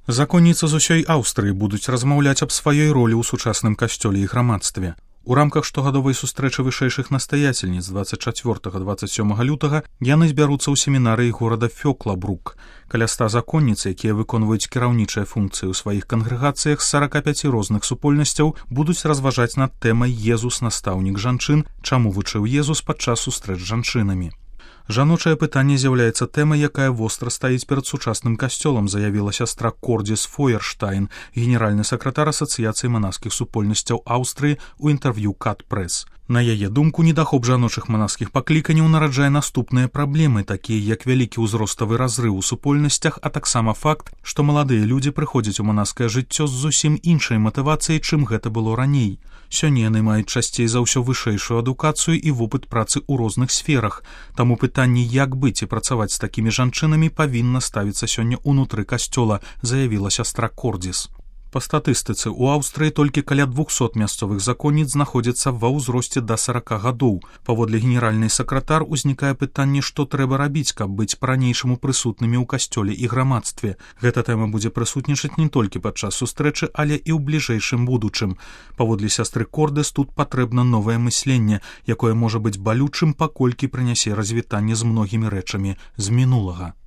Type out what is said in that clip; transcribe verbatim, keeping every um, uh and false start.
Законніцы з усёй Аўстрыі будуць размаўляць аб сваёй ролі ў сучасным касцёле і грамадстве. У рамках штогадовай сустрэчы вышэйшых настаяцельніц дваццаць чацвёртага - дваццаць сёмага лютага яны збяруцца ў семінарыі горада Фёклабрук. Каля ста законніц, якія выконваюць кіраўнічыя функцыі ў сваіх кангрэгацыях з сарака пяці розных супольнасцяў, будуць разважаць над тэмай «Езус, настаўнік жанчын», чаму вучыў Езус падчас сустрэч з жанчынамі. Жаночае пытанне з'яўляецца тэмай, якая востра стаіць перад сучасным касцёлам, заявіла сястра Кордзіс Фойерштайн, генеральны сакратар Асацыяцыі манаскіх супольнасцяў Аўстрыі ў інтэрв'ю Кат Прэс. На яе думку, недахоп жаночых манаскіх пакліканняў нараджае наступныя праблемы, такія як вялікі ўзроставы разрыў у супольнасцях, а таксама факт, што маладыя людзі прыходзяць у манаскае жыццё з зусім іншай матывацыяй, чым гэта было раней. Сёння яны маюць часцей за ўсё вышэйшую адукацыю і вопыт працы ў розных сферах. Таму пытанне, як быць і працаваць з такімі жанчынамі, павінна ставіцца сёння ўнутры касцёла, заявіла сястра Кордзіс. Па статыстыцы, у Аўстрыі толькі каля двухсот мясцовых законніц знаходзяцца ва ўзросце да сарака гадоў. Паводле генеральнай сакратар узнікае пытанне, што трэба рабіць, каб быць па-ранейшаму прысутнымі ў касцёле і грамадстве. Гэта тэма будзе прысутнічаць не толькі падчас сустрэчы, але і ў бліжэйшым будучым. Паводле сястры Кордзіс, тут патрэбна новае мысленне, якое можа быць балючым, паколькі прынясе развітанне з многімі рэчамі з мінулага.